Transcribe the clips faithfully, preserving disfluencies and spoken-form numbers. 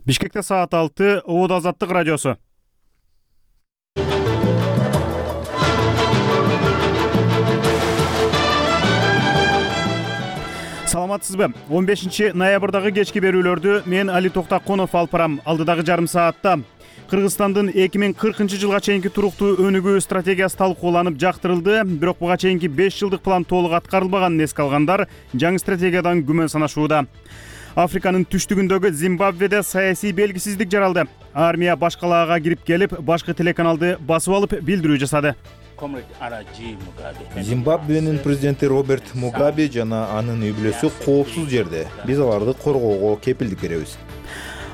Бишкекте саат алты, Обод Азаттык радиосу. Саламатсызбы? он бешинчи ноябрдагы кечки берүүлөрдү мен Али Токтаконов алып барам. Алдыдагы жарым саатта Кыргызстандын эки миң кыркынчы жылга чейинки туруктуу өнүгүү стратегиясы талкууланып жактырылды. Бирок буга чейинки беш жылдык план толук аткарылбаганын эске алгандар жаңы стратегиядан күмөн санашууда. Африканын түштүгүндөгү Зимбабведе саясий белгисиздик жаралды. Армия башкалаага кирип келип, башкы телеканалды басып алып билдирүү жасады. Зимбабвенин президенти Роберт Мугабе жана анын үй бүлөсү коопсуз жерде. Биз аларды коргоого кепилдик беребиз.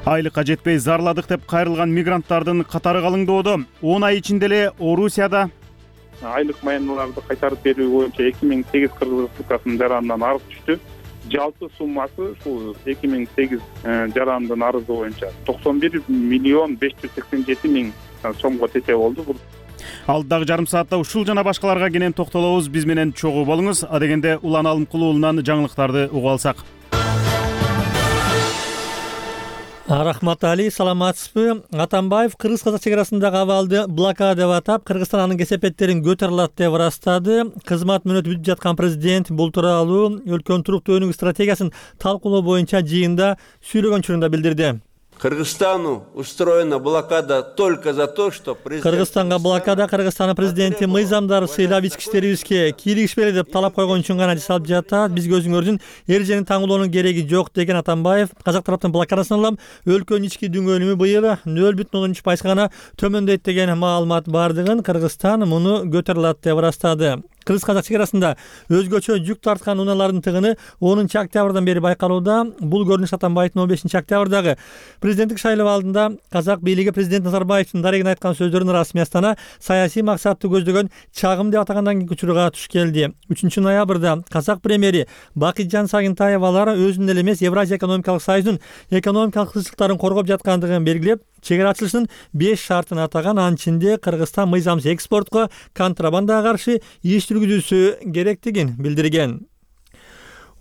Айлыкка жетпей зарладык деп кайрылган мигранттардын катары калыңдоодо. он ай ичинде эле Орусияда айлык маяналарды кайтарып берүү боюнча эки миң сегиз Кыргыз Республикасынын жаранынан арыз түштү. Жалпы суммасы ушул эки миң сегиз жарандын арызы боюнча токсон бир миллион беш жүз сексен жети миң сомго тете болду. Алдыдагы жарым саатта ушул жана башкаларга кенен токтолобуз. Биз менен чогуу болуңуз. Адегенде Улан Алымкулуулунан жаңылыктарды угуп алсак. Рахмат Али, саламатсызбы? Атамбаев кыргыз-казак чек арасындагы абалды блокада деп атап, Кыргызстан анын кесепеттерин көтөрө алат деп ырастады. Кызмат мөөнөтү бүтүп жаткан президент бул тууралуу өлкөнүн туруктуу өнүгүү стратегиясын талкуулоо боюнча жыйында сүйлөгөн учурунда билдирди. Кыргызстану устроена блокада только за то, что президент... Кыргызстанга блокада Кыргызстандын президенти мыйзамдарды сыйлап ички иштерибизге кийлигишпели деп талап койгон үчүн гана жасалып жатат. Бизге өзүңөрдүн эрежени таңуулоонун кереги жок деген Атамбаев казак тараптын блокадасынан улам өлкөнүн ички дүңгөнүмү быйыл нөл бүтүн ондон үч пайызга гана төмөндөйт деген маалымат бардыгын Кыргызстан муну көтөрө алат деп ырастады. Кыргыз-казак чек арасында өзгөчө жүк тарткан унаалардын тыгыны онунчу октябрдан бери байкалууда. Бул көрүнүш Атамбаевдин он бешинчи октябрдагы президенттик шайлоо алдында казак бийлиги президент Назарбаевдин дарегине айткан сөздөрүн расмий Астана саясий максатты көздөгөн чагым деп атагандан кийинки учурга туш келди. үчүнчү ноябрда казак премьери Бакытжан Сагынтаевалар өзүнүн эле эмес Евразия экономикалык союзунун экономикалык кызыкчылыктарын коргоп жаткандыгын белгилеп, чек ара ачылышынын беш шартын атаган. Анын ичинде Кыргызстан мыйзамсыз экспортко, контрабандага каршы иш жүргүзүүсү керектигин билдирген.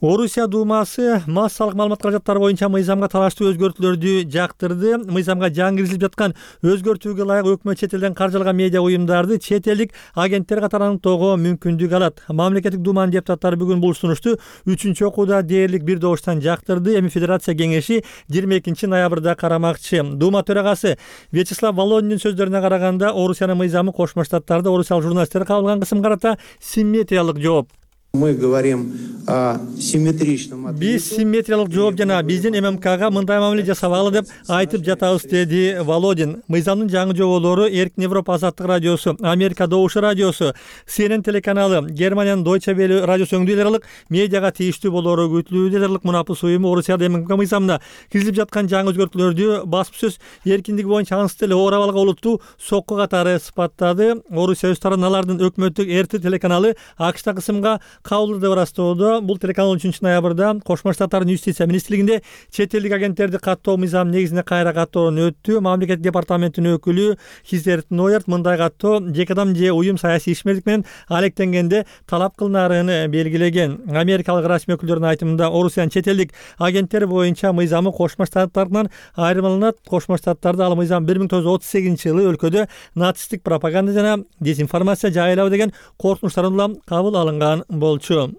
Орусия Думасы массалык маалымат каражаттары боюнча мыйзамга талаштуу өзгөртүүлөрдү жактырды. Мыйзамга жаңы киргизилип жаткан өзгөртүүгө ылайык өкмөт чет элден каржыланган медиа уюмдарды чет элдик агенттер катары аныктоого мүмкүндүк алат. Мамлекеттик Думанын депутаттары бүгүн бул сунушту үчүнчү окууда дээрлик бир добуштан жактырды. Эми Федерация кеңеши жыйырма экинчи ноябрда карамакчы. Дума төрагасы Вячеслав Володиндин сөздөрүнө караганда, Орусиянын мыйзамы Кошмо Штаттарда орусиялык журналисттер кабыл алган кысымга карата симметриялык жооп. Мы говорим о симметричном. Биз симметриялык жооп жана биздин ММКга мындай мамиле жасабагыла деп айтып жатабыз, деди Володин. Мыйзамдын жаңы жоболору Эркин Европа Азаттык радиосу, Америка Добушу радиосу, Си Эн Эн телеканалы, Германиянын Deutsche Welle радиосу өңдүү аралык медиага тийиштүү болору күтүлүүдө. Аралык мунапыс уюму Орусияда ММК мыйзамына киргизилип жаткан жаңы өзгөртүүлөрдү басып сөз эркиндиги боюнча аңсыз эле оор абалга олуттуу сокку катары сыпаттады. Орусия өз тарабынан алардын өкмөттүк эр тэ телеканалы АКШта кысымга кабыл деп ырастоодо. Бул телеканал үчүнчү ноябрда Кошмо Штаттардын юстиция министрлигинде чет элдик агенттерди каттоо мыйзамы негизинде кайра каттоодон өттү. Мамлекеттик департаменттин өкүлү Хизерт Нойерт мындай каттоо жеке адам же уюм саясий ишмердик менен алектенгенде талап кылынаарын белгилеген. Америкалык расмий өкүлдөрдүн айтымында, Орусиянын чет элдик агенттери боюнча мыйзамы Кошмо Штаттардан айырмаланат. Кошмо Штаттарда ал мыйзам бир миң тогуз жүз отуз сегизинчи жылы өлкөдө нацисттик пропаганда жана дезинформация жайылабы деген коркунучтардан улам кабыл алынган болчу.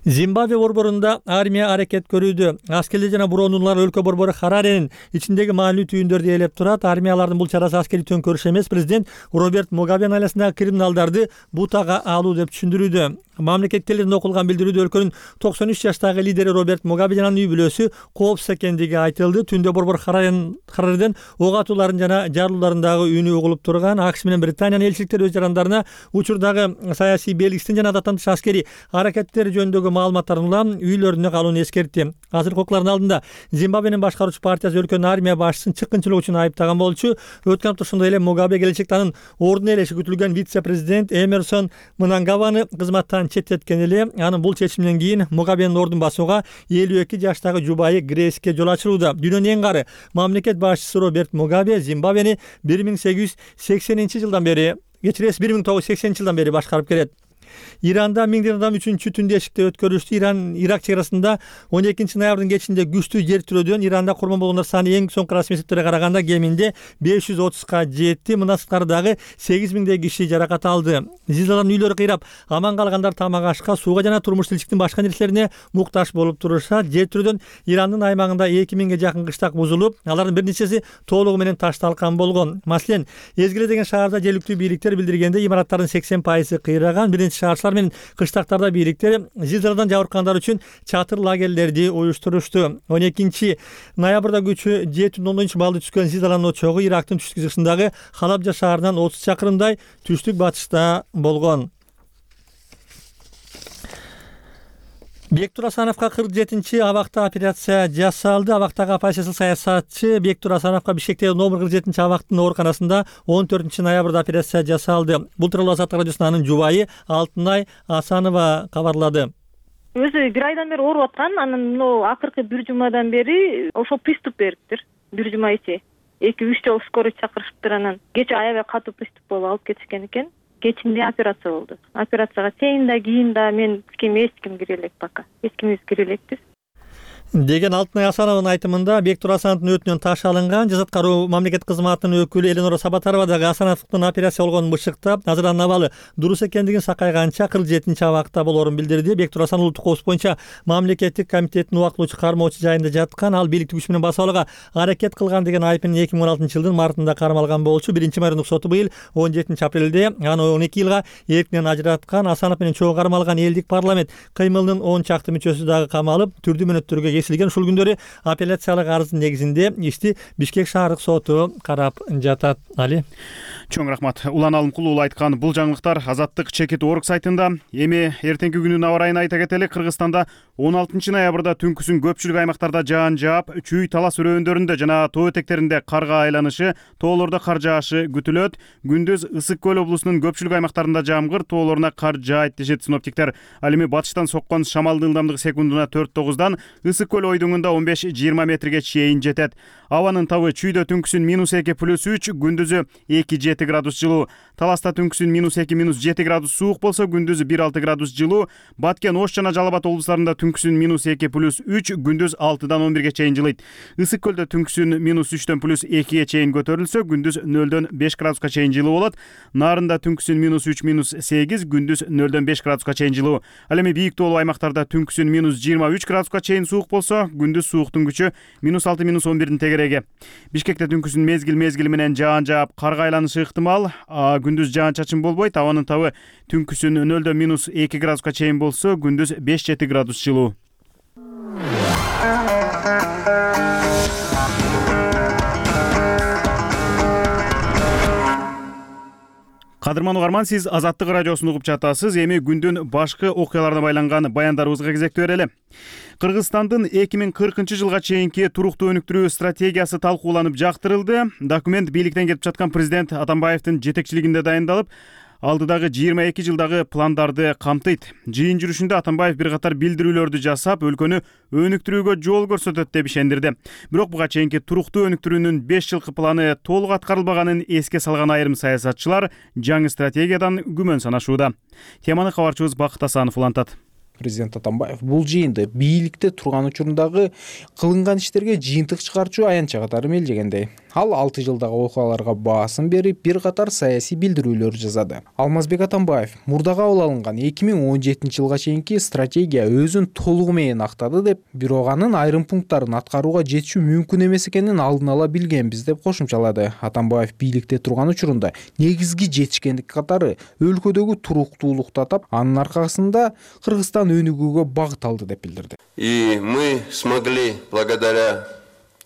Зимбабве борборунда армия аракет көрүүдө. Аскерлер жана буронулар өлкө борбору Хараренин ичиндеги маанилүү түйүндөрдү ээлеп турат. Армиялардын бул чарасы аскерий төңкөрүш эмес, президент Роберт Мугабенин айласындагы криминалдарды бутага алуу деп түшүндүрүүдө. Мамлекеттик телевидениеде окулган билдирүүдө өлкөнүн токсон үч жаштагы лидери Роберт Мугабе жана үй бүлөсү коопсуз экендиги айтылды. Түндө борбор Хараренден ок атууларын жана жарылууларындагы үнү угулуп турган. АКШ менен Британиянын элчиликтери өз жарандарына учурдагы саясий белгисизден жана адаттан тыш аскерий аракеттери жөнүндөгү маалыматтарын улам үйлөрүнө калууну эскертти. Азыркы окуулардын алдында Зимбабвенин башкаруучу партиясы өлкөнүн армия башчысын чыккынчылык үчүн айыптаган болчу. Өткөн апта ошондой эле Мугабе келечекте анын ордуна ээлеши күтүлгөн вице-президент Эмерсон Мнангаваны кызматтан четтеткен эле. Анын бул чечиминен кийин Мугабенин ордун басууга элүү эки жаштагы жубайы Грейске жол ачылууда. Дүйнөнүн эң кары мамлекет башчысы Роберт Мугабе Зимбабвени бир миң сегиз жүз сексенинчи жылдан бери, кечиресиз бир миң тогуз жүз сексенинчи жылдан бери башкарып келет. Иранда миңдеген адам үчүнчү түндү эшикте өткөрүштү. Иран Ирак чек арасында он экинчи ноябрдын кечинде күчтүү жер тирөөдөн Иранда курман болгондор саны эң соңку расмий эсептерге караганда кеминде беш жүз отузга жетти. Мындан сырткары дагы сегиз миңдей киши жаракат алды. Зилзаладан үйлөрү кыйрап, аман калгандар тамак ашка, сууга жана турмуш тиричиликтин башка нерселерине муктаж болуп турушат. Жер тирөөдөн Ирандын аймагында эки миңге жакын кыштак бузулуп, алардын бир нечеси толугу менен ташталган болгон. Маселен, Эзгиле деген шаарда жергиликтүү бийликтер билдиргенде имараттардын сексен пайызы кыйраган. Бир нече шаарчылар менен кыштактарда бийликтер зилзаладан жабыркагандар үчүн чатыр лагерлерди уюштурушту. он экинчи ноябрда күчү жети бүтүн ондон үч баллды түшкөн зилзаланын очогу Ирактын түштүк-чыгышындагы Халабжа шаарынан отуз чакырымдай түштүк батышта болгон. Бектур Асановго кырк жетинчи абакта операция жасалды. Абактагы оппозициялык саясатчы Бектур Асановго Бишкектеги номер кырк жетинчи абактын ооруканасында он төртүнчү ноябрда операция жасалды. Бул тууралуу Азаттык радиосуна анын жубайы Алтынай Асанова кабарлады. Өзү бир айдан бери ооруп аткан, анан мына акыркы бир жумадан бери ошол приступ бериптир. Бир жума ичи эки үч жолу скорый чакырышыптыр, анан кечээ аябай катуу приступ болуп алып кетишкен экен. Кечинде операция болду. Операцияга чейин да, кийин да мен ким эч ким кире элек пока. Эч кимибиз кире элекпиз. Деген Алтынай Асановдун айтымында Бектур Асановдун өтүнөн таш алынган. Жаза аткаруу мамлекеттик кызматынын өкүлү Эленора Сабатарова дагы Асановдун операция болгонун бышыктап, азырдан абалы дурус экендигин сакайганча кырк жетинчи абакта болоорун билдирди. Бектур Асанов улуттук коопсуздук боюнча мамлекеттик комитеттин убактылуучу кармоочу жайында жаткан. Ал бийликти күч менен басып алууга аракет кылган деген айып менен эки миң он алтынчы жылдын мартында кармалган болчу. Биринчи майрындык соту быйыл он жетинчи апрелде аны он эки жылга эркинен ажыраткан. Асанов менен чогуу кармалган элдик парламент кыймылынын он чакты мүчөсү дагы камалып, түрдүү мөөнөттөргө кесилген. Ушул күндөрү апелляциялык арыздын негизинде ишти Бишкек шаардык соту карап жатат. Али. Чоң рахмат. Улан Алымкул уулу айткан бул жаңылыктар Азаттык чекит орг сайтында. Эми эртеңки күнүн аба ырайын айта кетели. Кыргызстанда он алтынчы ноябрда түнкүсүн көпчүлүк аймактарда жаан жаап, чүй талас өрөөндөрүндө жана тоо этектеринде карга айланышы, тоолордо кар жаашы күтүлөт. Күндүз Ысык көл облусунун көпчүлүк аймактарында жамгыр, тоолоруна кар жаайт дешет синоптиктер. Ал эми батыштан соккон шамалдын ылдамдыгы секундуна төрт тогуздан Ысык көл ойдуңунда он беш жыйырма метрге чейин жетет. Абанын табы чүйдө түнкүсүн минус эки плюс үч, күндүзү эки жети градус жылуу. Таласта түнкүсүн минус эки минус жети градус суук болсо, күндүзү бир алты градус жылуу. Баткен, Ош жана Жалал Абад облустарында түнкүсүн минус эки плюс үч, күндүз алтыдан он бирге чейин жылыйт. Ысык көлдө түнкүсүн минус үчтөн плюс экиге чейин көтөрүлсө, күндүз нөлдөн беш градуска чейин жылуу болот. Нарында түнкүсүн минус үч минус сегиз, күндүз нөлдөн беш градуска чейин жылуу. Ал эми бийик тоолуу аймактарда түнкүсүн минус жыйырма үч градуска чейин суук болсо, күндүз сууктун күчү минус алты минус он бирдин тегереги. Бишкекте түнкүсүн мезгил мезгили менен жаан жаап, карга айланышы ыктымал. Күндүз жаан чачын болбойт. Абанын табы түнкүсүн нөлдөн минус эки градуска чейин болсо, күндүз беш жети градус жылуу. Кадырман угарман, сиз Азаттык радиосун угуп жатасыз. Эми күндүн башкы окуяларына байланган баяндарыбызга кезектөө берели. Кыргызстандын эки миң кыркынчы жылга чейинки туруктуу өнүктүрүү стратегиясы талкууланып жактырылды. Документ бийликтен кетип жаткан президент Атамбаевдин жетекчилигинде дайындалып, алдыдагы жыйырма эки жылдагы пландарды камтыйт. Жыйын жүрүшүндө Атамбаев бир катар билдирүүлөрдү жасап, өлкөнү өнүктүрүүгө жол көрсөтөт деп ишендирди. Бирок буга чейинки туруктуу өнүктүрүүнүн беш жылкы планы толук аткарылбаганын эске салган айрым саясатчылар жаңы стратегиядан күмөн санашууда. Теманы кабарчыбыз Бакыт Асанов улантат. Президент Атамбаев бул жыйынды бийликте турган учурундагы кылынган иштерге жыйынтык чыгарчу аянтча катары мелдегендей. Ал алты жылдагы окуяларга баасын берип, бир катар саясий билдирүүлөр жасады. Алмазбек Атамбаев мурда кабыл алынган эки миң он жетинчи жылга чейинки стратегия өзүн толугу менен актады деп, бирок анын айрым пункттарын аткарууга жетишүү мүмкүн эмес экенин алдын ала билгенбиз деп кошумчалады. Атамбаев бийликте турган учурунда негизги жетишкендик катары өлкөдөгү туруктуулукту атап, анын аркасында Кыргызстан өнүгүүгө багыт алды деп билдирди. И мы смогли благодаря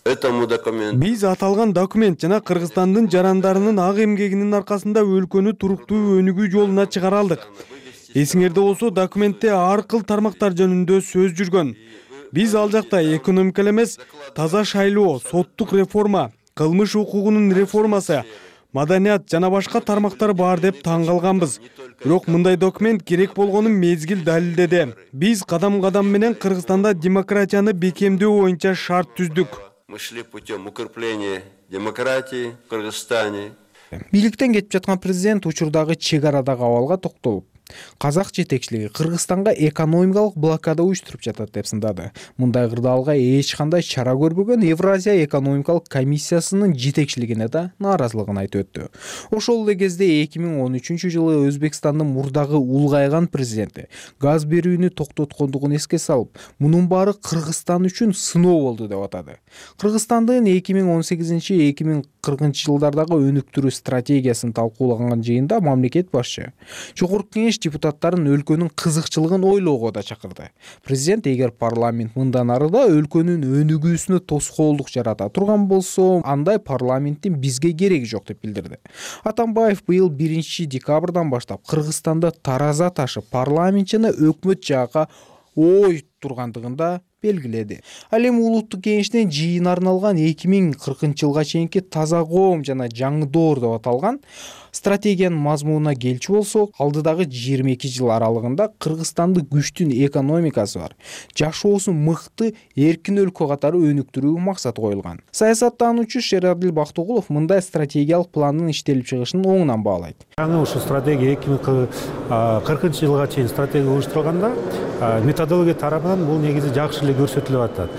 этому документу. Биз аталган документ жана Кыргызстандын жарандарынын ак эмгегинин аркасында өлкөнү туруктуу өнүгүү жолуна чыгара алдык. Эсиңерде болсо, документте ар кыл тармактар жөнүндө сөз жүргөн. Биз ал жакта экономика эмес, таза шайлоо, соттук реформа, кылмыш укугунун реформасы, маданият жана башка тармактар бар деп таң калганбыз. Бирок мындай документ керек болгонун мезгил далилдеди. Биз кадам-кадам менен Кыргызстанда демократияны бекемдөө боюнча шарт түздүк. Мы шли путем укрепления демократии в Кыргызстане. Бийликтен кетип жаткан президент учурдагы чек арадагы абалга токтолуп, казак жетекчилиги Кыргызстанга экономикалык блокада уюштуруп жатат деп сындады. Мындай кырдаалга эч кандай чара көрбөгөн Евразия экономикалык комиссиясынын жетекчилигине да нааразылыгын айтып өттү. Ошол эле кезде эки миң он үчүнчү жылы Өзбекстандын мурдагы улгайган президенти газ берүүнү токтоткондугун эске салып, мунун баары Кыргызстан үчүн сыноо болду деп атады. Кыргызстандын эки миң он сегизинчи — эки миң кыркынчы жылдардагы өнүктүрүү стратегиясын талкуулаган жыйында мамлекет башчы Жогорку Кеңеш депутаттарын өлкөнүн кызыкчылыгын ойлоого да чакырды. Президент эгер парламент мындан ары да өлкөнүн өнүгүүсүнө тоскоолдук жарата турган болсо, андай парламенттин бизге кереги жок деп билдирди. Атамбаев быйыл биринчи декабрдан баштап Кыргызстанда тараза ташы парламент жана өкмөт жакка ой тургандыгын да белгиледи. Ал эми улуттук кеңештин жыйын арналган эки миң кыркынчы жылга чейинки таза коом жана жаңы доор деп аталган стратегиянын мазмунуна келчү болсок, алдыдагы жыйырма эки жыл аралыгында Кыргызстанды күчтүү экономикасы бар, жашоосу мыкты, эркин өлкө катары өнүктүрүү максаты коюлган. Саясаттануучу Шерадил Бактыгулов мындай стратегиялык пландын иштелип чыгышын оңунан баалайт. Жаңы ушул стратегия эки миң кыркынчы жылга чейин стратегия уюштурулганда методология тарабынан бул негизи жакшы эле көрсөтүлүп атат.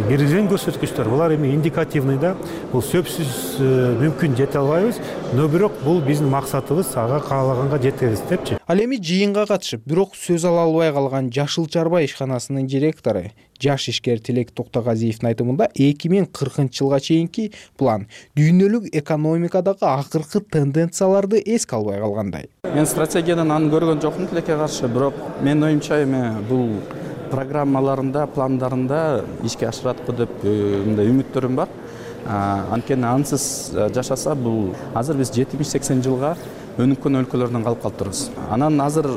Киргизген көрсөткүчтөр булар эми индикативный да, бул сөзсүз мүмкүн жете албайбыз, но бирок бул биздин максатыбыз, ага каалаганга жетебиз депчи. Ал эми жыйынга катышып, бирок сөз ала албай калган Жашыл Чарба ишканасынын директору жаш ишкер Тилек Токтогазиевдин айтымында эки миң кыркынчы жылга чейинки план дүйнөлүк экономикадагы акыркы тенденцияларды эске албай калгандай. Мен стратегиядан аны көргөн жокмун тилекке каршы, бирок менин оюмча эми бул программаларында, пландарында ишке ашырат деп мындай үмүттөрүм бар. Анткени ансыз жашаса бул азыр биз жетимиш сексен жылга өнүккөн өлкөлөрдөн калып калыптырбыз. Анан азыр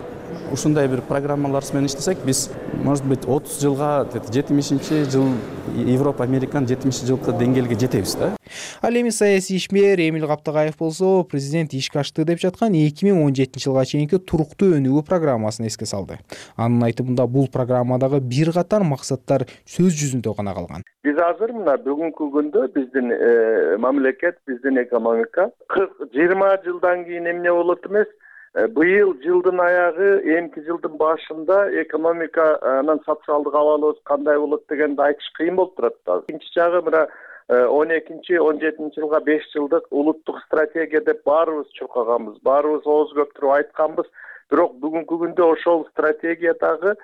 ушундай бир программалар менен иштесек, биз может быть отуз жылга жетимишинчи жыл Европа, Американын жетимишинчи жылкы деңгээлге жетебиз да. Ал эми саясий ишмер Эмил Каптагаев болсо, президент ишке ашты деп жаткан эки миң он жетинчи жылга чейинки туруктуу өнүгүү программасын эске салды. Анын айтымында бул программадагы бир катар максаттар сөз жүзүндө гана калган. Биз азыр мына бүгүнкү күндө биздин мамлекет, биздин экономика жыйырма жылдан кийин эмне болот эмес, быйыл жылдын аягы, эмки жылдын башында экономиканын социалдык абалыбыз кандай болот дегенди айтыш кыйын болуп турат. Экинчи жагы мына он экинчи он жетинчи жылга беш жылдык улуттук стратегия деп баарыбыз чуркаганбыз, баарыбыз ооз көптүрүп айтканбыз. Бирок бүгүнкү күндө ошол стратегиядагы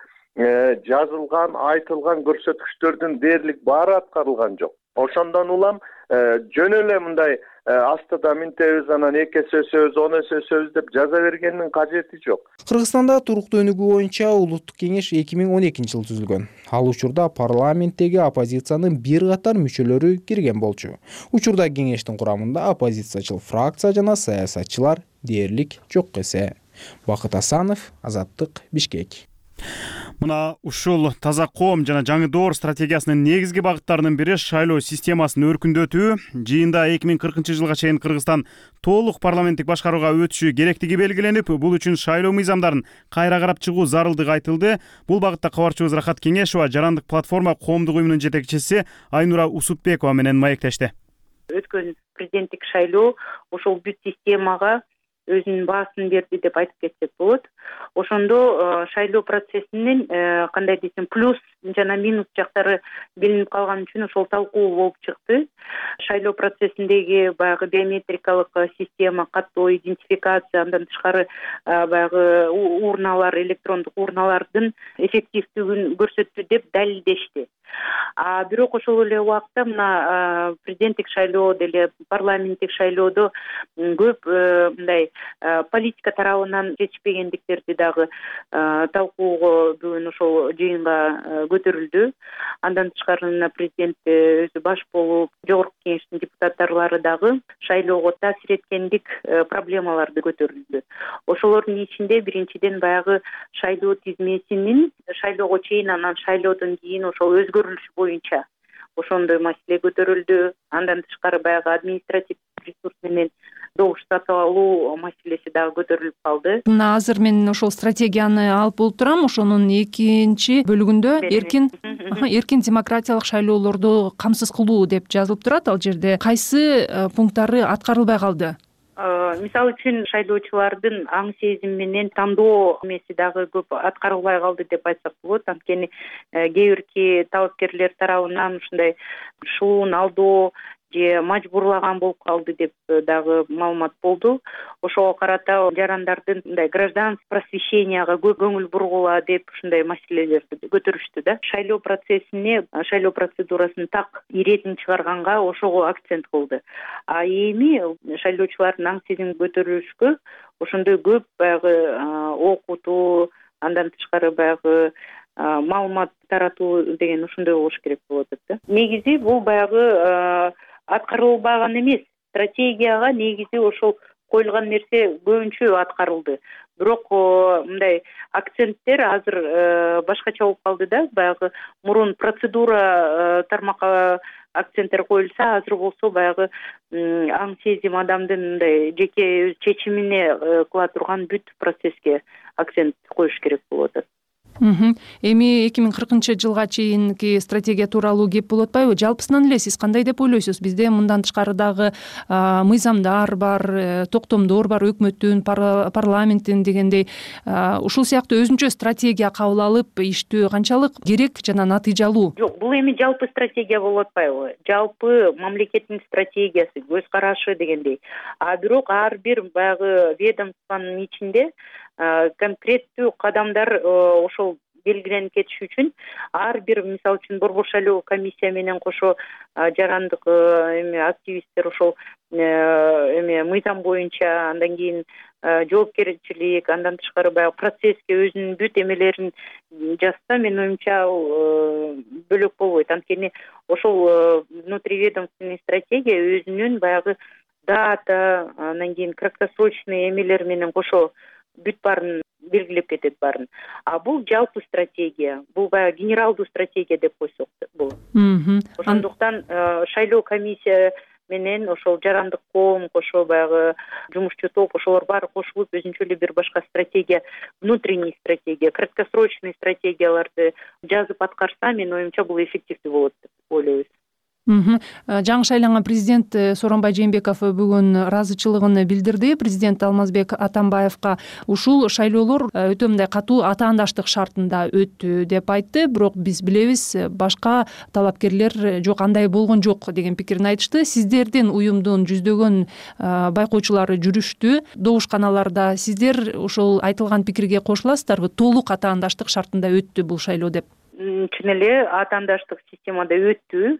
жазылган, айтылган көрсөткүчтөрдүн дээрлик баары аткарылган жок. Ошондон улам жөн эле мындай астыда минтебиз, анан эки эсе өсөбүз, он эсе өсөбүз деп жаза бергендин кажети жок. Кыргызстанда туруктуу өнүгүү боюнча улуттук кеңеш эки миң он экинчи жылы түзүлгөн. Ал учурда парламенттеги оппозициянын бир катар мүчөлөрү кирген болчу. Учурда кеңештин курамында оппозициячыл фракция жана саясатчылар дээрлик жок эсе. Бакыт Асанов, Азаттык, Бишкек. Мына ушул таза коом жана жаңы доор стратегиясынын негизги багыттарынын бири шайлоо системасын өркүндөтүү. Жыйында эки миң кыркынчы жылга чейин Кыргызстан толук парламенттик башкарууга өтүшү керектиги белгиленип, бул үчүн шайлоо мыйзамдарын кайра карап чыгуу зарылдыгы айтылды. Бул багытта кабарчыбыз Рахат Кеңешова жарандык платформа коомдук уюмунун жетекчиси Айнура Усупбекова менен маектешти. Өткөн президенттик шайлоо ошол бүт системага өзүнүн баасын берди деп айтып кетсек болот. Ошондо шайлоо процессинин кандай десем плюс жана минус жактары билинип калган үчүн ошол талкуу болуп чыкты. Шайлоо процессиндеги баягы биометрикалык система, каттоо идентификация, андан тышкары баягы урналар, электрондук урналардын эффективдүүлүгүн көрсөттү деп далилдешти. А бирок ошол эле убакта мына президенттик шайлоо деле парламенттик шайлоодо көп мындай политика тарабынан жетишпегендиктерди дагы талкууга бүгүн ошол жыйынга көтөрүлдү. Андан тышкары президент өзү баш болуп, Жогорку Кеңештин депутаттары дагы шайлоого таасир эткендик проблемаларды көтөрүлдү. Ошолордун ичинде биринчиден баягы шайлоо тизмесинин шайлоого чейин, анан шайлоодон кийин ошол өзгөрүлүш боюнча ошондой маселе көтөрүлдү. Андан тышкары баягы административдик ресурс менен добуш сатып алуу маселеси дагы көтөрүлүп калды. Мына азыр мен ошол стратегияны алып болуп турам. Ошонун экинчи бөлүгүндө эркин эркин демократиялык шайлоолорду камсыз кылуу деп жазылып турат. Ал жерде кайсы пункттары аткарылбай калды? мисалы үчүн шайлоочулардын аң сезими менен тандоо эмеси дагы көп аткарылбай калды деп айтсак болот. Анткени кээ бирки талапкерлер тарабынан ушундай шуун алдоо же мажбурлаган болуп калды деп дагы маалымат болду. Ошого карата жарандардын мындай гражданский просвещенияга көп көңүл бургула деп ушундай маселелерди көтөрүштү да. Шайлоо процессине, шайлоо процедурасын так иретин чыгарганга ошого акцент кылды. А эми шайлоочулардын аң сезимин көтөрүшкө ошондой көп баягы окутуу, андан тышкары баягы маалымат таратуу деген ошондой болуш керек болуп атат да. Негизи бул баягы аткарылбаган эмес. Стратегияга негизи ошол коюлган нерсе көбүнчө аткарылды. Бирок мындай акценттер азыр башкача болуп калды да. Баягы мурун процедура тармакка акценттер коюлса, азыр болсо баягы аң сезим адамдын мындай жеке өз чечимине кыла турган бүт процесске акцент коюш керек болуп атат. Эми эки миң кыркынчы жылга чейинки стратегия тууралуу кеп болуп атпайбы? Жалпысынан эле сиз кандай деп ойлойсуз? Бизде мындан тышкары дагы мыйзамдар бар, токтомдор бар, өкмөттүн, парламенттин дегендей ушул сыяктуу өзүнчө стратегия кабыл алып иштөө канчалык керек жана натыйжалуу? Жок, бул эми жалпы стратегия болуп атпайбы? Жалпы мамлекеттин стратегиясы, көз карашы дегендей. А бирок ар бир баягы ведомствонун ичинде конкреттүү кадамдар ошол белгиленип кетиш үчүн ар бир, мисалы үчүн борбор шайлоо комиссия менен кошо жарандык эме активисттер ошол эме мыйзам боюнча, андан кийин жоопкерчилик, андан тышкары баягы процесске өзүнүн бүт эмелерин жазса, менин оюмча ал бөлөк болбойт. Анткени ошол внутриведомственный стратегия өзүнүн баягы дата, андан кийин краткосрочный эмелер менен кошо бүт баарын белгилеп кетет баарын. А бул жалпы стратегия, бул баягы генералдуу стратегия деп койсок болот. Ошондуктан шайлоо комиссия менен ошол жарандык коом, кошо баягы жумушчу топ, ошолор баары кошулуп өзүнчө эле бир башка стратегия, внутренний стратегия, краткосрочный стратегияларды жазып аткарса, менин оюмча бул эффективдүү болот деп ойлойбуз. Жаңы шайланган президент Сооронбай Жээнбеков бүгүн ыраазычылыгын билдирди. Президент Алмазбек Атамбаевка ушул шайлоолор өтө мындай катуу атаандаштык шартында өттү деп айтты. Бирок биз билебиз, башка талапкерлер жок, андай болгон жок деген пикирин айтышты. Сиздердин уюмдун жүздөгөн байкоочулары жүрүштү. Добушканаларда сиздер ошол айтылган пикирге кошуласыздарбы? Толук атаандаштык шартында өттү бул шайлоо деп. Чын эле атаандаштык системада өттү.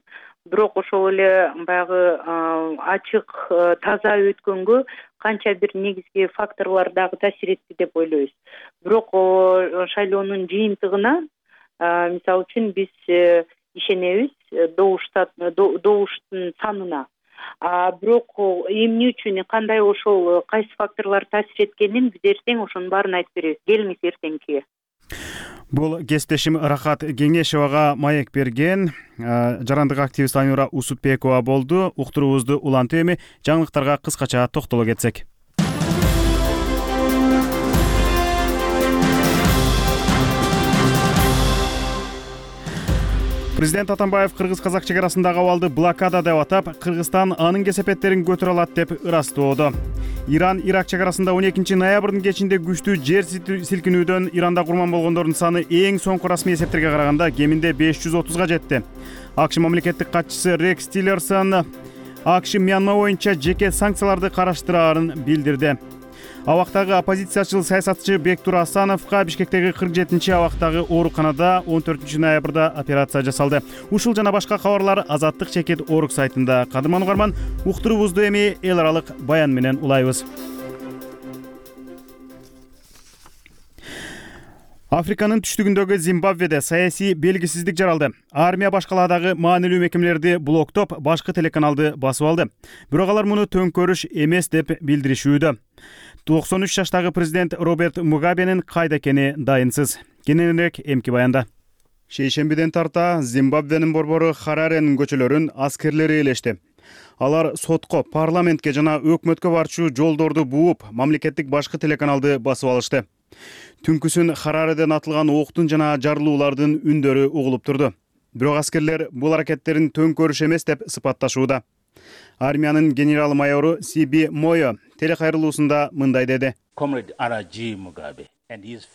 Бирок ошол эле баягы ачык, таза өткөнгө канча бир негизги факторлор дагы таасир этти деп ойлойбуз. Бирок шайлоонун жыйынтыгына, мисалы үчүн биз ишенебиз добуштун санына. А бирок эмне үчүн, кандай ошол кайсы факторлор таасир эткенин биз эртең ошонун баарын айтып беребиз. Келиңиз эртеңки. Бул кесиптешим Рахат Кеңешевага маек берген жарандык активист Айнура Усупбекова болду. Уктуруубузду улантып, эми жаңылыктарга кыскача токтоло кетсек. Президент Атамбаев кыргыз-казак чек арасындагы абалды блокада деп атап, Кыргызстан анын кесепеттерин көтөрө алат деп ырастоодо. Иран Ирак чек арасында он экинчи ноябрдын кечинде күчтүү жер силкинүүдөн Иранда курман болгондордун саны эң соңку расмий эсептерге караганда кеминде беш жүз отузга жетти. АКШ мамлекеттик катчысы Рекс Тиллерсон АКШ Мьянма боюнча жеке санкцияларды караштыраарын билдирди. Абактагы оппозициячыл саясатчы Бектур Асановго Бишкектеги кырк жетинчи абактагы ооруканада он төртүнчү ноябрда операция жасалды. Ушул жана башка кабарлар Азаттык чекит орг сайтында. Кадырман угарман, уктуруубузду эми эл аралык баян менен улайбыз. Африканын түштүгүндөгү Зимбабведе саясий белгисиздик жаралды. Армия башкаладагы маанилүү мекемелерди блоктоп, башкы телеканалды басып алды. Бирок алар муну төңкөрүш эмес деп билдиришүүдө. токсон үч жаштагы президент Роберт Мугабенин кайда экени дайынсыз. Кененирээк эмки баянда. Шейшембиден тарта Зимбабвенин борбору Хараренин көчөлөрүн аскерлери ээлешти. Алар сотко, парламентке жана өкмөткө барчу жолдорду бууп, мамлекеттик башкы телеканалды басып алышты. Түнкүсүн Харареден атылган октун жана жарылуулардын үндөрү угулуп турду. Бирок аскерлер бул аракеттерин төңкөрүш эмес деп сыпатташууда. Армиянын генерал майору Сиби Мойо телекайрылуусунда мындай деди.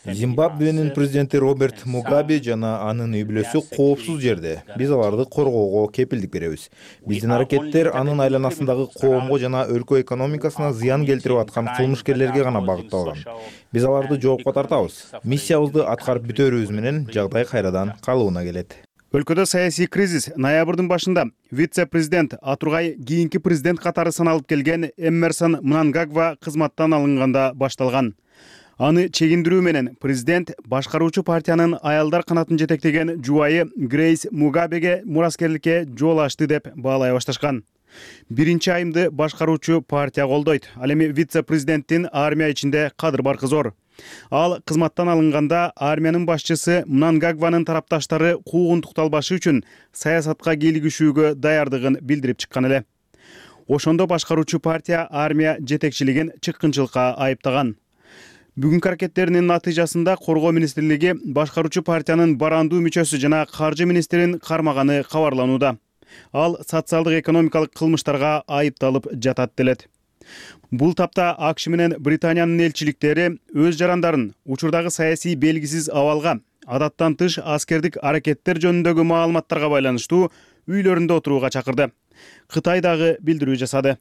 Зимбабвенин президенти Роберт Мугабе жана анын үй бүлөсү коопсуз жерде. Биз аларды коргоого кепилдик беребиз. Биздин аракеттер анын айланасындагы коомго жана өлкө экономикасына зыян келтирип аткан кылмышкерлерге гана багытталган. Биз аларды жоопко тартабыз. Миссиябызды аткарып бүтөрүбүз менен жагдай кайрадан калыбына келет. Өлкөдө саясий кризис ноябрдын башында вице-президент, а тургай кийинки президент катары саналып келген Эммерсон Мнангагва кызматтан алынганда башталган. Аны чегиндирүү менен президент башкаруучу партиянын аялдар канатын жетектеген жубайы Грейс Мугабеге мураскерликке жол ачты деп баалай башташкан. Биринчи айымды башкаруучу партия колдойт. Ал эми вице-президенттин армия ичинде кадыр баркы зор. Ал кызматтан алынганда армиянын башчысы Мнангагванын тарапташтары куугунтукталбашы үчүн саясатка кийлигишүүгө даярдыгын билдирип чыккан эле. Ошондо башкаруучу партия армия жетекчилигин чыккынчылыкка айыптаган. Бүгүнкү аракеттеринин натыйжасында Коргоо министрлиги башкаруучу партиянын барандуу мүчөсү жана каржы министрин кармаганы кабарланууда. Ал социалдык экономикалык кылмыштарга айыпталып жатат делет. Бул тапта АКШ менен Британиянын элчиликтери өз жарандарын учурдагы саясий белгисиз абалга, адаттан тыш аскердик аракеттер жөнүндөгү маалыматтарга байланыштуу үйлөрүндө отурууга чакырды. Кытай дагы билдирүү жасады.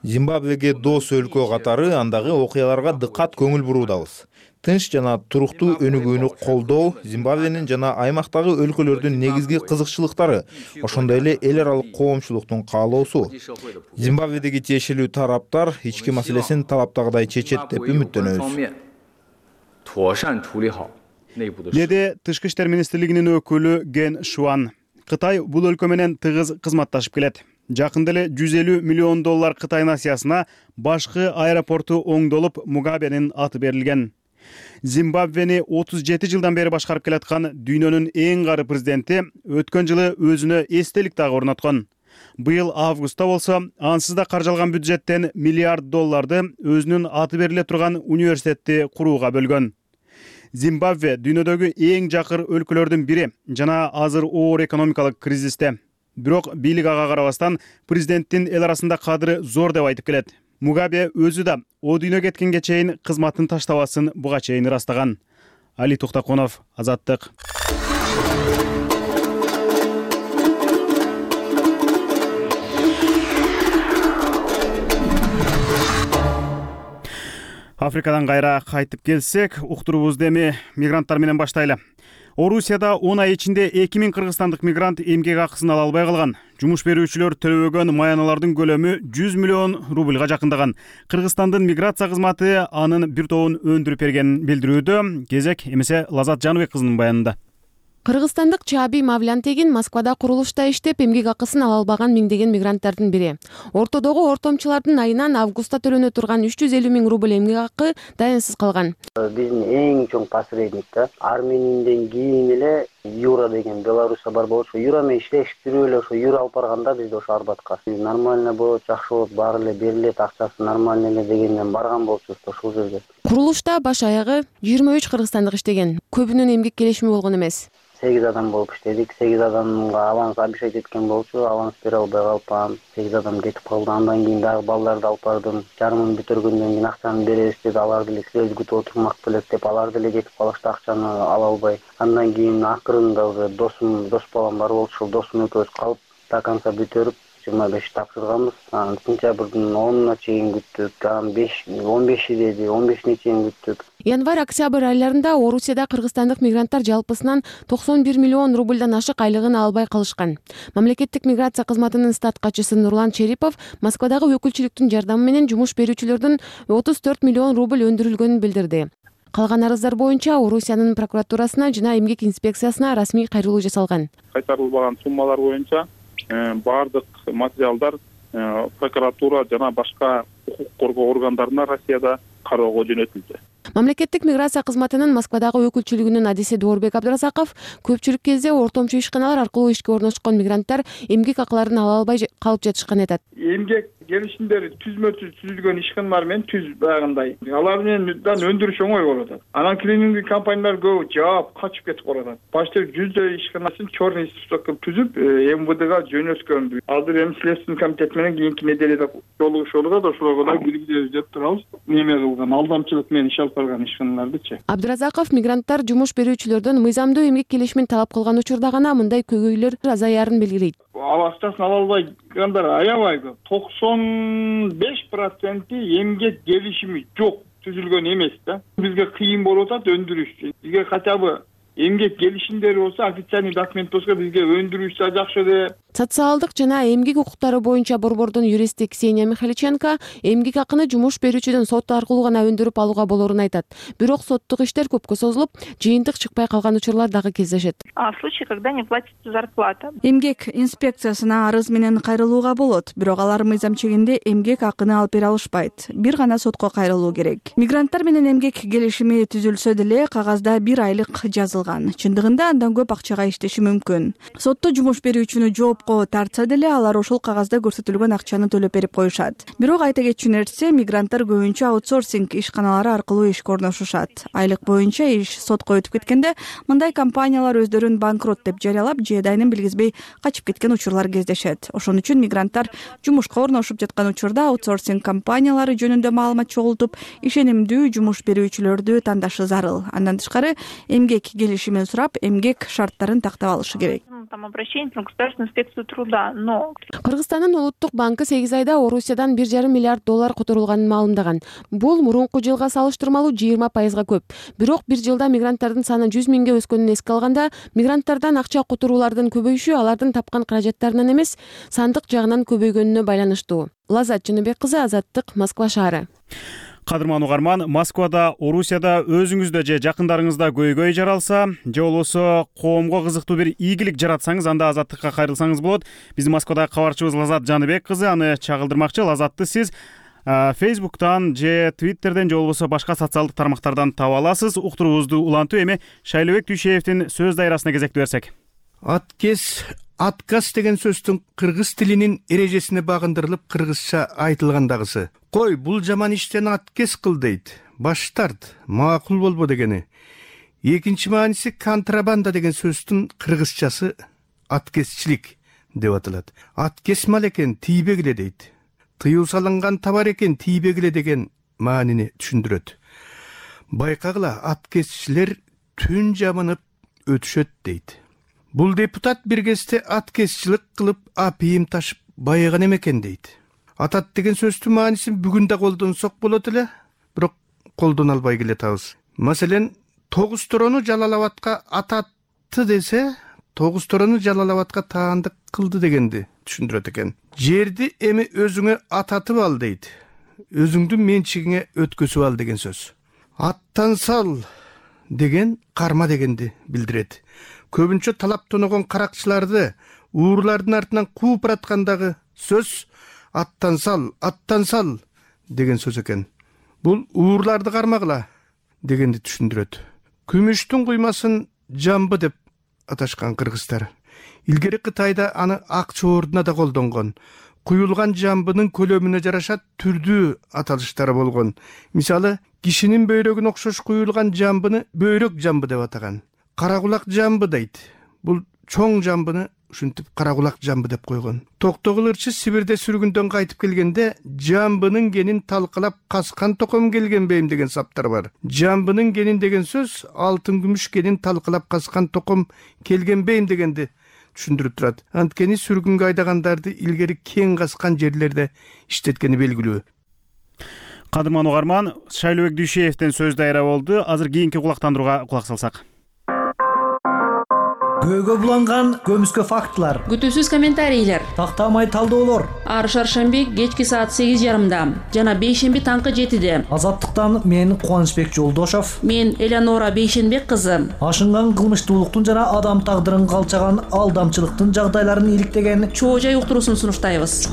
Зимбабвеге дос өлкө катары андагы окуяларга дыккат көңүл буруудабыз. Тынч жана туруктуу өнүгүүнү колдоо Зимбабвенин жана аймактагы өлкөлөрдүн негизги кызыкчылыктары, ошондой эле эл аралык коомчулуктун каалоосу. Зимбабведеги тиешелүү тараптар ички маселесин талаптагыдай чечет деп үмүттөнөбүз. Деди Тышкы иштер министрлигинин өкүлү Ген Шуан. Кытай бул өлкө менен тыгыз кызматташып келет. Жакында эле жүз элүү миллион доллар Кытай насиясына башкы аэропорту оңдолуп Мугабенин аты берилген. Зимбабвени отуз жети жылдан бери башкарып келаткан дүйнөнүн эң кары президенти өткөн жылы өзүнө эстелик дагы орноткон. Быйыл августта болсо ансыз да каржалган бюджеттен миллиард долларды өзүнүн аты бериле турган университетти курууга бөлгөн. Зимбабве дүйнөдөгү эң жакыр өлкөлөрдүн бири жана азыр оор экономикалык кризисте. Бирок бийлик ага карабастан президенттин эл арасында кадыры зор деп айтып келет. Мугабе өзү да о дүйнө кеткенге чейин кызматын таштабасын буга чейин ырастаган. Али Токтаконов, Азаттык. Африкадан кайра кайтып келсек, уктуруубузду эми мигранттар менен баштайлы. Орусияда он ай ичинде эки миң кыргызстандык мигрант эмгек акысын ала албай калган. Жумуш берүүчүлөр төлөбөгөн маяналардын көлөмү жүз миллион рублга жакындаган. Кыргызстандын миграция кызматы анын бир тобун өндүрүп бергенин билдирүүдө. Кезек эмесе Лазат Жаныбек кызынын баянында. Кыргызстандык Чааби Мавлянтегин Москвада курулушта иштеп эмгек акысын ала албаган миңдеген мигранттардын бири. Ортодогу ортомчулардын айынан августта төлөнө турган үч жүз элүү миң рубль эмгек акы даянсыз калган. Биздин эң чоң посредник да Арменияден кийин эле Юра деген Беларуска бар болчу. Юра менен иштештирүү эле ошо Юра алып барганда бизди ошо Арбатка нормально болот, жакшы болот, баары эле берилет, акчасы нормально эле дегенден барган болчубуз ошол жерге. Курулушта баш аягы жыйырма үч кыргызстандык иштеген. Көбүнүн эмгек келишими болгон эмес. сегиз адам болуп иштедик. сегиз адамга аванс обещать эткен болчу. Аванс бере албай калып, сегиз адам кетип калды. Андан кийин дагы балдарды алып бардым. Жарымын бүтөргөндөн кийин акчаны беребиз деп алар деле силерди күтүп отурмак белек деп алар деле кетип калышты, акчаны ала албай. Андан кийин акырында уже досум, дос балам бар болчу. Ошол досум экөөбүз калып до конца бүтөрүп жыйырма беш тапшырганбыз. Сентябрдын онуна чейин күттүк. Анан беш он беши деди, он бешине чейин күттүк. Январь-октябрь айларында Орусияда кыргызстандык мигранттар жалпысынан токсон бир миллион рубльдан ашык айлыгын албай калышкан. Мамлекеттик миграция кызматынын стат катчысы Нурлан Черипов Москвадагы өкүлчүлүктүн жардамы менен жумуш берүүчүлөрдүн отуз төрт миллион рубль өндүрүлгөнүн билдирди. Калган арыздар боюнча Орусиянын прокуратурасына жана эмгек инспекциясына расмий кайрылуу жасалган. Кайтарылбаган суммалар боюнча баардык материалдар прокуратура жана башка укук коргоо органдарына Россияда кароого жөнөтүлдү. Мамлекеттик миграция кызматынын Москвадагы өкүлчүлүгүнүн адиси Доорбек Абдыразаков көпчүлүк кезде ортомчу ишканалар аркылуу ишке орношкон мигранттар эмгек акыларын ала албай калып жатышканын айтат. Эмгек келишимдер түзмө түз түзүлгөн ишканалар менен түз баягындай. Алар менен өндүрүш оңой болуп атат. Анан клинингдик компаниялар көбү жаап качып кетип калат. Почти жүздөй ишканасын черный список кылып түзүп МВДга жөнөткөн. Азыр эми Следственный комитет менен кийинки неделеде жолугушуп атат. Ошолорго да билгилеп деп турабыз. Неме кылган алдамчылык менен иш алып барган ишканалардычы. Абдыразаков мигранттар жумуш берүүчүлөрдөн мыйзамдуу эмгек келишимин талап кылган учурда гана мындай көйгөйлөр азаярын белгилейт. Акчасын ала албайгандар аябай көп. токсон беш проценти эмгек келишими жок, түзүлгөн эмес да. Бизге кыйын болуп атат өндүрүш. Бизге хотя бы эмгек келишимдери болсо, официальный документ болсо бизге өндүрүш да жакшы деп. Социалдык жана эмгек укуктары боюнча борбордун юристи Ксения Михайличенко эмгек акыны жумуш берүүчүдөн сот аркылуу гана өндүрүп алууга болорун айтат. Бирок соттук иштер көпкө созулуп, жыйынтык чыкпай калган учурлар дагы кездешет. А в случае, когда не платится зарплата, эмгек инспекциясына арыз менен кайрылууга болот, бирок алар мыйзам чегинде эмгек акыны алып бере алышпайт. Бир гана сотко кайрылуу керек. Мигранттар менен эмгек келишими түзүлсө деле кагазда бир айлык жазылган. Чындыгында андан көп акчага иштеши мүмкүн. Сотто жумуш берүүчүнү жооп тартса деле алар ошол кагазда көрсөтүлгөн акчаны төлөп берип коюшат. Бирок айта кетчү нерсе, мигранттар көбүнчө аутсорсинг ишканалары аркылуу ишке орношушат. Айлык боюнча иш сотко өтүп кеткенде мындай компаниялар өздөрүн банкрот деп жарыялап, жеэдайын билгизбей качып кеткен учурлар кездешет. Ошон үчүн мигранттар жумушка орношуп жаткан учурда аутсорсинг компаниялары жөнүндө маалымат чогултуп, ишенимдүү жумуш берүүчүлөрдү тандашы зарыл. Андан тышкары эмгек келишимин сурап, эмгек шарттарын тактап алышы керек. там обращение на государственную инспекцию труда, но Кыргызстандын улуттук банкы сегиз айда Орусиядан бир жарым миллиард доллар которулганын маалымдаган. Бул мурунку жылга салыштырмалуу жыйырма пайызга көп. Бирок бир жылда мигранттардын саны жүз миңге өскөнүн эске алганда, мигранттардан акча которуулардын көбөйүшү алардын тапкан каражаттарынан эмес, сандык жагынан көбөйгөнүнө байланыштуу. Лазат Жыныбек кызы, Азаттык, Москва шаары. Кадырман угарман, Москвада, Орусияда өзүңүздө же жакындарыңызда көйгөй жаралса, же болбосо коомго кызыктуу бир ийгилик жаратсаңыз, анда Азаттыкка кайрылсаңыз болот. Биздин Москвадагы кабарчыбыз Лазат Жаныбек кызы аны чагылдырмакчы. Лазатты сиз Фейсбуктан же Твиттерден же болбосо башка социалдык тармактардан таба аласыз. Уктуруубузду улантуу. Эми Шайлообек Дүйшеевдин сөз дайрасына кезекти берсек. Аткес, отказ деген сөздүн кыргыз тилинин эрежесине багындырылып кыргызча айтылгандагысы. Кой, бул жаман иштен аткес кыл дейт. Баш тарт, макул болбо дегени. Экинчи мааниси контрабанда деген сөздүн кыргызчасы аткесчилик деп аталат. Аткес мал экен, тийбегиле дейт. Тыюу салынган товар экен, тийбегиле деген маанини түшүндүрөт. Байкагыла, аткесчилер түн жамынып өтүшөт дейт. Бул депутат бир кезде аткесчилик кылып апийим ташып байыган экен дейт. Атат деген сөздүн маанисин бүгүн да колдонсок болот эле, бирок колдоно албай келатабыз. Маселен, тогуз торону Жалалабадка ататты десе, тогуз торону Жалалабадка таандык кылды дегенди түшүндүрөт экен. Жерди эми өзүңө ататып ал дейт. Өзүңдүн менчигиңе өткөзүп ал деген сөз. Аттан сал деген карма дегенди билдирет. Көбүнчө талап тоногон каракчыларды уурлардын артынан кууп бараткандагы сөз аттан сал, аттан сал деген сөз экен. Бул уурларды кармагыла дегенди түшүндүрөт. Күмүштүн куймасын жамбы деп аташкан кыргыздар. Илгери Кытайда аны ак чоордуна да колдонгон. Куюлган жамбынын көлөмүнө жараша түрдүү аталыштары болгон. Мисалы, кишинин бөйрөгүнө окшош куюлган жамбыны бөйрөк жамбы деп атаган. Каракулак жамбы дейт. Бул чоң жамбыны ушинтип каракулак жамбы деп койгон. Токтогул ырчы Сибирде сүргүндөн кайтып келгенде жамбынын генин талкалап каскан током келген бейим деген саптар бар. Жамбынын генин деген сөз алтын күмүш генин талкалап каскан током келген бейим дегенди түшүндүрүп турат. Анткени сүргүнгө айдагандарды илгери кең каскан жерлерде иштеткени белгилүү. Кадырман угарман, Шайлообек Дүйшеевдин сөз дайра болду. Азыр кийинки кулактандырууга кулак салсак. Көйгө буланган көмүскө фактылар, күтүүсүз комментарийлер, тактамай талдоолор. Ар шаршемби кечки саат сегиз жарымда жана бейшемби таңкы жетиде. Азаттыктан мен Кубанычбек Жолдошов, мен Элеонора Бейшенбек кызы. Ашынган кылмыштуулуктун жана адам тагдырын калчаган алдамчылыктын жагдайларын иликтеген чоо жай уктуруусун сунуштайбыз.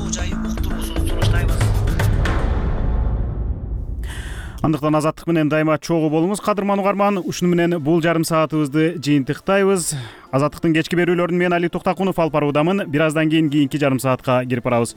Андыктан Азаттык менен дайыма чогуу болуңуз. Кадырман угарман, ушуну менен бул жарым саатыбызды жыйынтыктайбыз. Азаттыктын кечки берүүлөрүн мен Али Токтакунов алып баруудамын. Бир аздан кийин кийинки жарым саатка кирип барабыз.